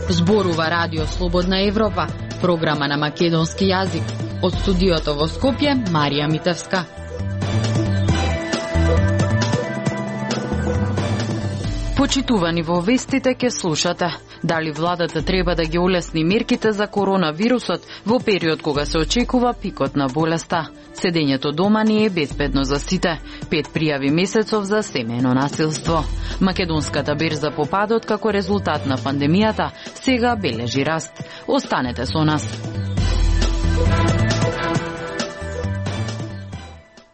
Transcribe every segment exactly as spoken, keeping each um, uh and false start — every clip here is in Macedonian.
Зборува Радио Слободна Европа, програма на македонски јазик. Од студиото во Скопје, Марија Митевска. Почитувани во вестите ке слушате. Дали владата треба да ги улесни мерките за коронавирусот во период кога се очекува пикот на болеста? Седењето дома не е безбедно за сите. Пет пријави месецов за семејно насилство. Македонската берза по падот како резултат на пандемијата сега бележи раст. Останете со нас.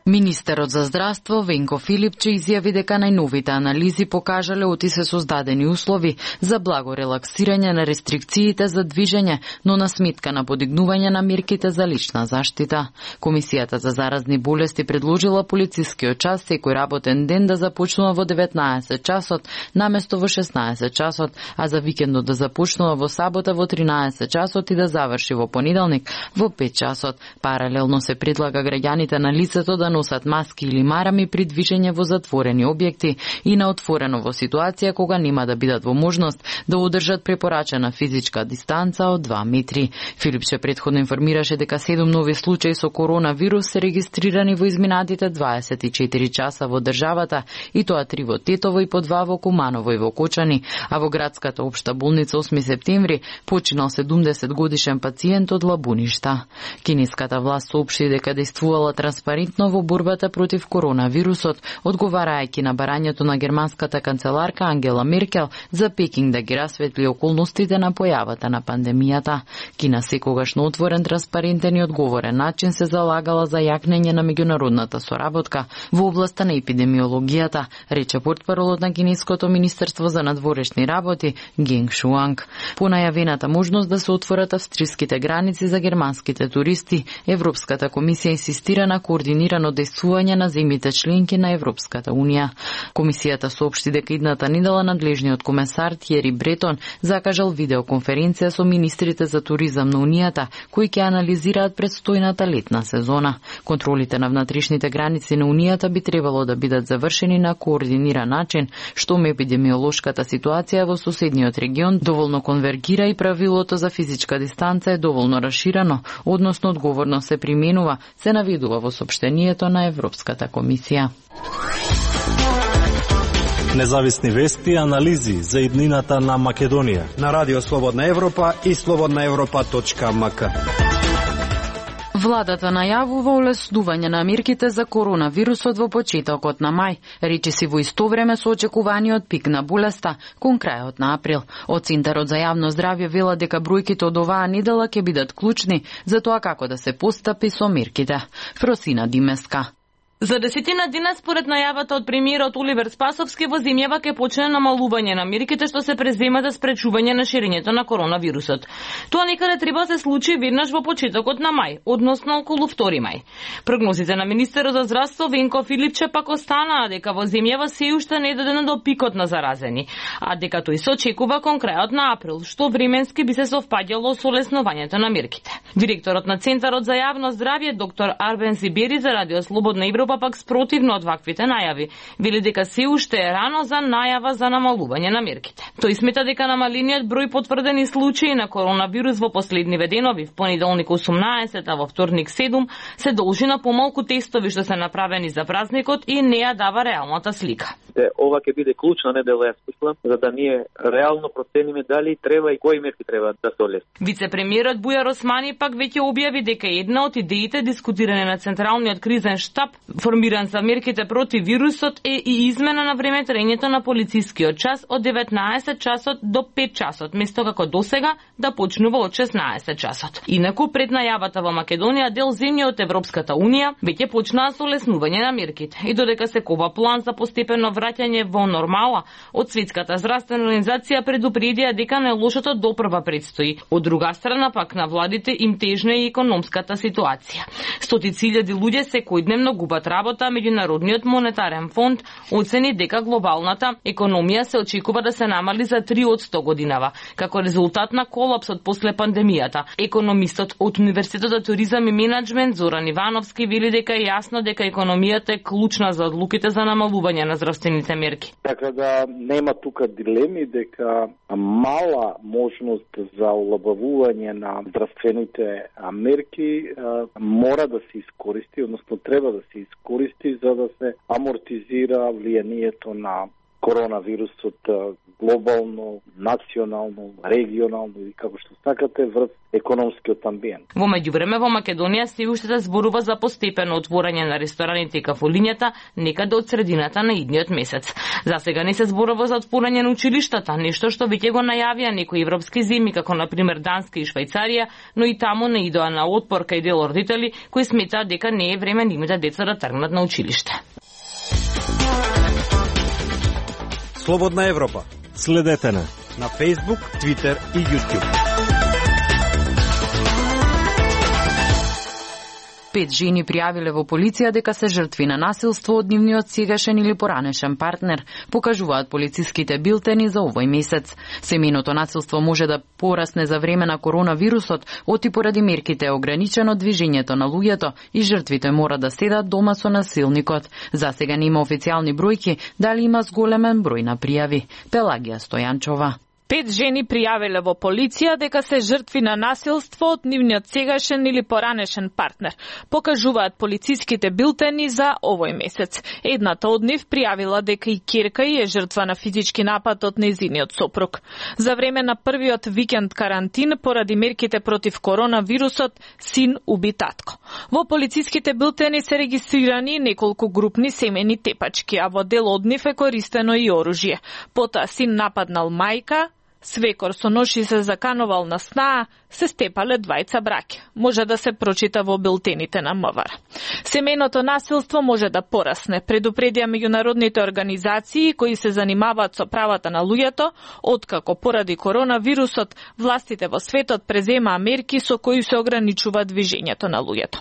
Министерот за здравство Венко Филипче изјави дека најновите анализи покажале оти се создадени услови за благо релаксирање на рестрикциите за движење, но на сметка на подигнување на мерките за лична заштита. Комисијата за заразни болести предложила полицискиот час секој работен ден да започнува во деветнаесет часот, наместо во шеснаесет часот, а за викендот да започнува во сабота во тринаесет часот и да заврши во понеделник во пет часот. Паралелно се предлага граѓаните на лицето да носат маски или марами при движење во затворени објекти и на отворено во ситуација кога нема да бидат во можност да одржат препорачена физичка дистанца од два метри. Филипче претходно информираше дека седум нови случаи со коронавирус се регистрирани во изминатите дваесет и четири часа во државата, и тоа три во Тетово и по два во Куманово и во Кочани, а во градската општа болница осми септември починал седумдесет годишен пациент од Лабуништа. Кинеската власт соопшти дека действувала транспарентно во борбата против коронавирусот, одговарајќи на барањето на германската канцеларка Ангела Меркел за Пекинг да ги расветли околностите на појавата на пандемијата. Кина секогаш на отворен, транспарентен и одговорен начин се залагала за јакнење на меѓународната соработка во областа на епидемиологијата, рече портпаролот на Кинеското министерство за надворешни работи Генг Шуанг. По најавената можност да се отворат австриските граници за германските туристи, Европската комисија инсистира на координирано действување на земјите членки на Европската унија. Комисијата соопшти дека идната недела надлежниот комесар Тиери Бретон закажал видеоконференција со министрите за туризам на Унијата, кои ќе анализираат предстојната летна сезона. Контролите на внатрешните граници на Унијата би требало да бидат завршени на координиран начин, штом епидемиолошката ситуација во соседниот регион доволно конвергира и правилото за физичка дистанца е доволно расширено, односно одговорно се применува, се наведува во соопштението на Европската комисија. Независни вести и анализи за иднината на Македонија на Радио Слободна Европа и слободна европа точка ем ка. Владата најавува олеснување на мерките за коронавирусот во почетокот на мај, речиси во исто време со очекуваниот пик на болеста кон крајот на април. Од Центарот за јавно здравје вела дека бројките од оваа недела ќе бидат клучни за тоа како да се постапи со мерките. Фросина Димеска. За десетина дена според најавата од премиерот Оливер Спасовски во земјава ќе почне намалување на мерките што се преземат за спречување на ширењето на коронавирусот. Тоа некаде треба да се случи веднаш во почетокот на мај, односно околу втори мај. Прогнозите на министерот за здравство Венко Филипче пак останаа дека во земјава се уште не е додено до пикот на заразени, а дека тој се очекува кон крајот на април, што временски би се совпаѓало со олеснувањето на мерките. Директорот на Центарот за јавно здравје доктор Арбен Зибери за Радио Слободна Европа пак спротивно од ваквите најави, вели дека се уште е рано за најава за намалување на мерките. Тој смета дека намалениот број потврдени случаи на коронавирус во последниве денови, в понеделник осумнаесет, а во вторник седум, се должи на помалку тестови што се направени за празникот и не ја дава реалната слика. Ова ќе биде клучна недела, јас мислам, за да ние реално процениме дали треба и кои мерки треба да се олеснат. Вице-премиерот Бујар Османи пак веќе објави дека една од идеите дискутирани на Централниот кризен штаб, формиран за мерките против вирусот, е и измена на времетрањето на полицискиот час од деветнаесет часот до пет часот, место како досега да почнува од шеснаесет часот. Инаку, пред најавата во Македонија, дел земји од Европската унија веќе почнаа со олеснување на мерките. И додека се кова план за постепено враќање во нормала, од Светската здравствена организација предупредија дека најлошото допрва предстои. Од друга страна пак на владите им тежна и економската ситуација. Стотици илјади луѓе секојдневно губат работа, Меѓународниот монетарен фонд оцени дека глобалната економија се очекува да се намали за три одсто годинава, како резултат на колапсот после пандемијата. Економистот од Универзитетот за туризам и менеджмент Зоран Ивановски вели дека е јасно дека економијата е клучна за одлуките за намалување на здравствените мерки. Така да нема тука дилеми дека мала можност за олабавување на здравствените мерки а, мора да се искористи, односно треба да се искористи за да се амортизира влијанието на коронавирусот глобално, национално, регионално и како што сакате врз економскиот амбиент. Во меѓувреме во Македонија се уште да зборува за постепено отворање на рестораните и кафулињата некаде од средината на идниот месец. За сега не се зборува за отворање на училиштата, нешто што веќе го најавија некои европски земји како на пример Данска и Швајцарија, но и таму не идоа на отпор кај дел родители кои сметаат дека не е време нивните деца да тргнат на училиште. Слободна Европа. Следете на на Facebook, Twitter и YouTube. Пет жени пријавиле во полиција дека се жртви на насилство од нивниот сегашен или поранешен партнер, покажуваат полициските билтени за овој месец. Семејното насилство може да порасне за време на коронавирусот, оти поради мерките е ограничено движењето на луѓето и жртвите мора да седат дома со насилникот. За сега нема официјални бројки дали има зголемен број на пријави. Пелагија Стојанчова. Пет жени пријавиле во полиција дека се жртви на насилство од нивниот сегашен или поранешен партнер, покажуваат полициските билтени за овој месец. Едната од нив пријавила дека и ќерка е жртва на физички напад од нејзиниот сопруг. За време на првиот викенд карантин поради мерките против коронавирусот, син уби татко. Во полициските билтени се регистрирани неколку групни семени тепачки, а во дел од нив е користено и оружје. Потоа син нападнал мајка, свекор со нож и се заканувал на снаа, се степале двајца браќа. Може да се прочита во билтените на МВР. Семејното насилство може да порасне, предупредија меѓународните организации кои се занимаваат со правата на луѓето, откако поради коронавирусот властите во светот преземаа мерки со кои се ограничува движењето на луѓето.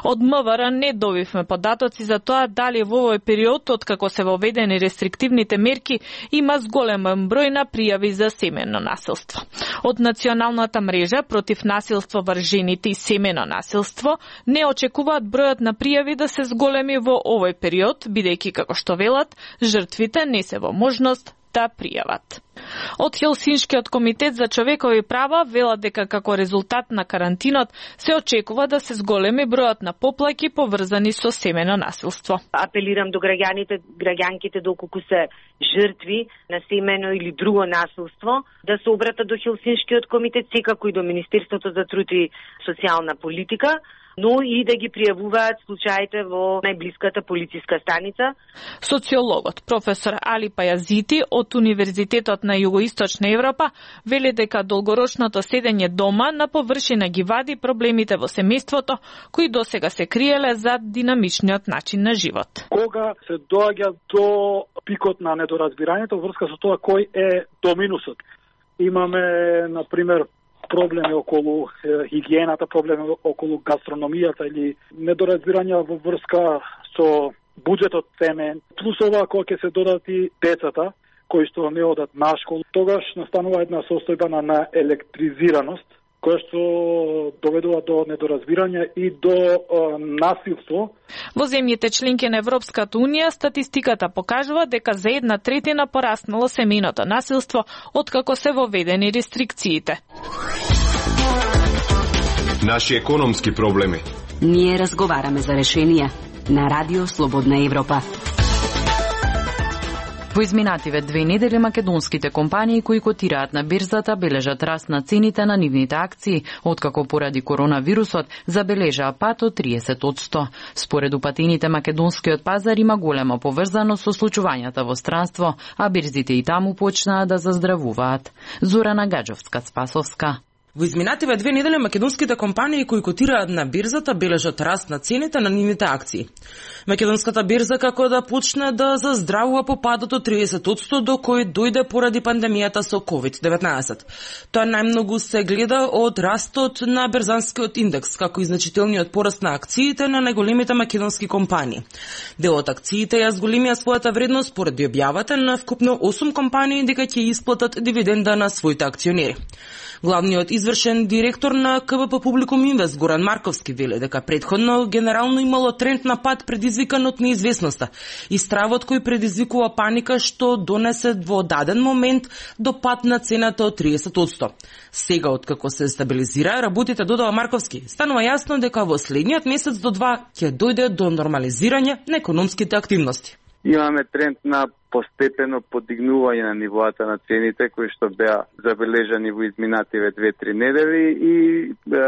Од МВР не добивме податоци за тоа дали во овој период, откако се воведени рестриктивните мерки, има зголемен број на пријави за семејно насилство. Од Националната мрежа против насилство врз жените и семејно насилство не очекуваат бројот на пријави да се зголеми во овој период, бидејќи, како што велат, жртвите не се во можност да пријават. Од Хелсиншкиот комитет за човекови права велат дека како резултат на карантинот се очекува да се зголеми бројот на поплаки поврзани со семејно насилство. Апелирам до граѓаните, граѓанките доколку се жртви на семејно или друго насилство, да се обратат до Хелсиншкиот комитет, секако и до Министерството за труд и социјална политика, но и да ги пријавуваат случаите во најблиската полициска станица. Социологот професор Али Пајазити од Универзитетот на Југоисточна Европа вели дека долгорочното седење дома на површина ги вади проблемите во семејството, кои досега се криеле за динамичниот начин на живот. Кога се доаѓа до пикот на недоразбирањето врска со тоа кој е доминусот. Имаме, на пример, проблеми околу е, хигиената, проблеми околу гастрономијата или недоразбирања во врска со буџетот семеен. Плюс ова, кога ќе се додат и децата, кои што не одат на школа, тогаш настанува една состојба на електризираност, која што доведува до недоразбирање и до е, насилство. Во земјите членки на Европската Унија статистиката покажува дека за една третина пораснало семејното насилство откако се воведени рестрикциите. Наши економски проблеми. Ние разговараме за решенија на Радио Слободна Европа. Во изминативе две недели македонските компании кои котираат на бирзата бележат раст на цените на нивните акции, откако поради коронавирусот забележаа пат од триесет одсто. Според упатените македонскиот пазар има голема поврзаност со случувањата во странство, а бирзите и таму почнаа да заздравуваат. Зорана Гаджовска-Спасовска. Во изминативе две недели македонските компании кои котираат на бирзата бележат раст на цените на нивните акции. Македонската бирза како да почне да заздравува по падот од триесет одсто до кој дојде поради пандемијата со ковид деветнаесет. Тоа најмногу се гледа од растот на берзанскиот индекс, како и значителниот пораст на акциите на најголемите македонски компании. Дел од акциите ја зголемија својата вредност поради објавата на вкупно осум компании дека ќе исплатат дивиденда на своите акционери. Главниот извршен директор на К Б П Публикум Инвест Горан Марковски вели дека претходно генерално имало тренд на пад предизвикан од неизвестноста и стравот кој предизвикува паника што донесе во даден момент до пад на цената од триесет одсто. Сега откако се стабилизира работите, додава Марковски, станува јасно дека во следниот месец до два ќе дојде до нормализирање на економските активности. Имаме тренд на постепено подигнување на нивоата на цените кои што беа забележани во изминативе две-три недели и е,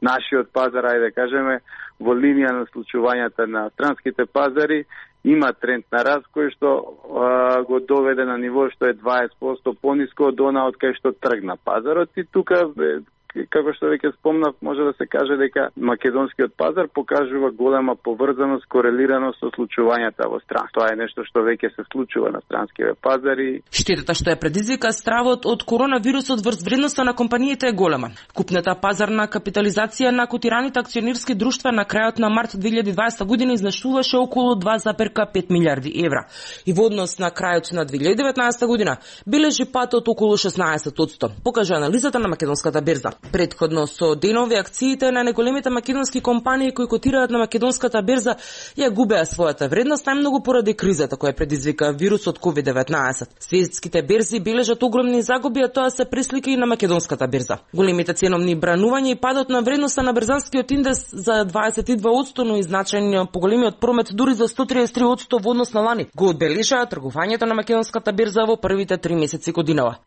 нашиот пазар, ајде да кажеме, во линија на случувањата на странските пазари има тренд на раст кој што е, го доведе на ниво што е дваесет одсто пониско од она од кај што тргна пазарот и тука е, како што веќе спомнав, може да се каже дека македонскиот пазар покажува голема поврзаност, корелираност со случувањата во стран. Тоа е нешто што веќе се случува на странските пазари. Штетата што ја предизвика стравот од коронавирусот врз вредноста на компаниите е голема. Купната пазарна капитализација на котираните акционерски друштва на крајот на март две илјади и дваесета година изнашуваше околу два зарез пет милиарди евра и во однос на крајот на две илјади и деветнаесета година бележи пат од околу шеснаесет одсто, покажа анализата на македонската берза. Предходно со денови акциите на најголемите македонски компании кои котираат на македонската берза ја губеа својата вредност најмногу поради кризата која предизвика вирусот ковид деветнаесет. Светските берзи бележат огромни загуби, а тоа се преслика и на македонската берза. Големите ценовни бранувања и падот на вредноста на берзанскиот индекс за дваесет и два одсто, но и значајно поголемиот промет дури за сто триесет и три одсто во однос на лани го одбележаа тргувањето на македонската берза во првите три месеци годинава.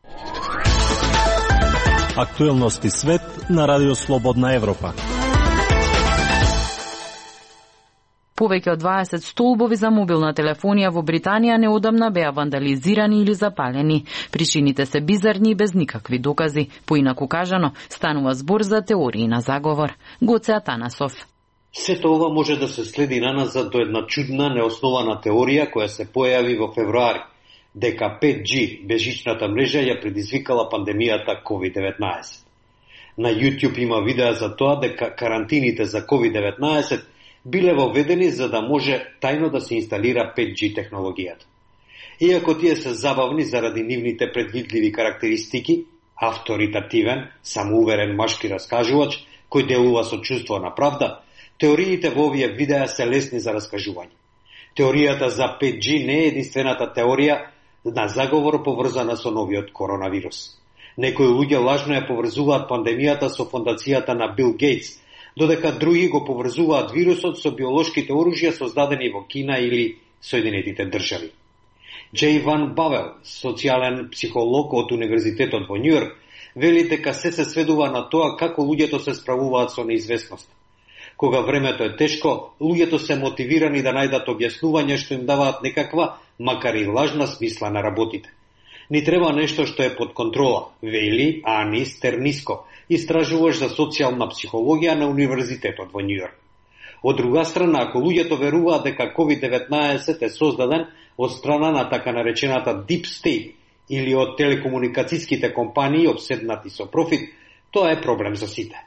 Актуелности свет на Радио Слободна Европа. Повеќе од дваесет столбови за мобилна телефонија во Британија неодамна беа вандализирани или запалени. Причините се бизарни и без никакви докази. Поинаку кажано, станува збор за теории на заговор. Гоце Атанасов. Сето ова може да се следи наназад до една чудна, неоснована теорија која се појави во февруари, дека пет джи бежичната мрежа ја предизвикала пандемијата ковид деветнаесет. На YouTube има видеа за тоа дека карантините за ковид деветнаесет биле воведени за да може тајно да се инсталира пет джи технологијата. Иако тие се забавни заради нивните предвидливи карактеристики, авторитативен, самоуверен машки раскажувач кој делува со чувство на правда, теориите во овие видеа се лесни за раскажување. Теоријата за пет джи не е единствената теорија на заговор поврзана со новиот коронавирус. Некои луѓе лажно ја поврзуваат пандемијата со фондацијата на Бил Гейтс, додека други го поврзуваат вирусот со биолошките оружја создадени во Кина или Соединетите држави. Джей Ван Бавел, социјален психолог од Универзитетот во Њујорк, вели дека се се сведува на тоа како луѓето се справуваат со неизвестност. Кога времето е тешко, луѓето се мотивирани да најдат објаснување што им даваат некаква, макар и лажна смисла на работите. Ни треба нешто што е под контрола, вели Ани Стерниско, истражуваш за социјална психологија на Универзитетот во Њујорк. Од друга страна, ако луѓето веруваат дека ковид деветнаесет е создаден од страна на така наречената Deep State или од телекомуникацијските компании обседнати со профит, тоа е проблем за сите.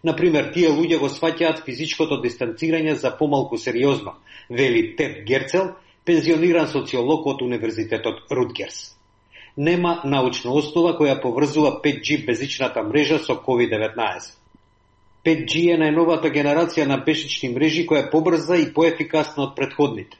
Например, тие луѓе го сваќаат физичкото дистанцирање за помалку сериозно, вели Тед Герцел, пензиониран социолог од Универзитетот Рутгерс. Нема научна основа која поврзува пет джи безичната мрежа со ковид деветнаесет. пет джи е најновата генерација на бежични мрежи која е побрза и поефикасна од претходните.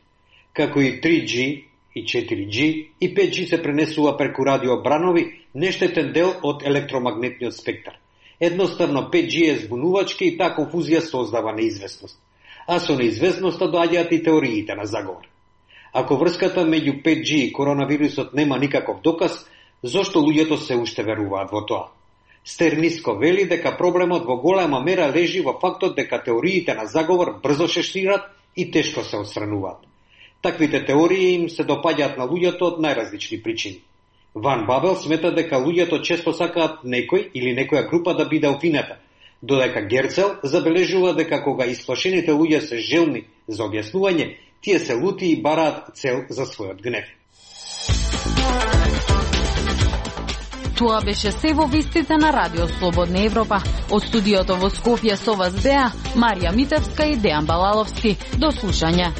Како и три джи и четири джи, и пет джи се пренесува преку радиобранови, нештетен дел од електромагнетниот спектар. Едноставно пет джи е збунувачки и таа конфузија создава неизвестност. А со неизвестноста доаѓаат и теориите на заговор. Ако врската меѓу пет джи и коронавирусот нема никаков доказ, зошто луѓето се уште веруваат во тоа? Стерниско вели дека проблемот во голема мера лежи во фактот дека теориите на заговор брзо се шират и тешко се отстрануваат. Таквите теории им се допаѓаат на луѓето од најразлични причини. Ван Бабел смета дека луѓето често сакаат некој или некоја група да биде обвинета, додека Герцел забележува дека кога исплашените луѓе се желни за објаснување, тие се лути и бараат цел за својот гнев. Тоа беше се во вестите на Радио Слободна Европа. Од студиото во Скопје со вас беа Марија Митевска и Дејан Балаловски. До слушање.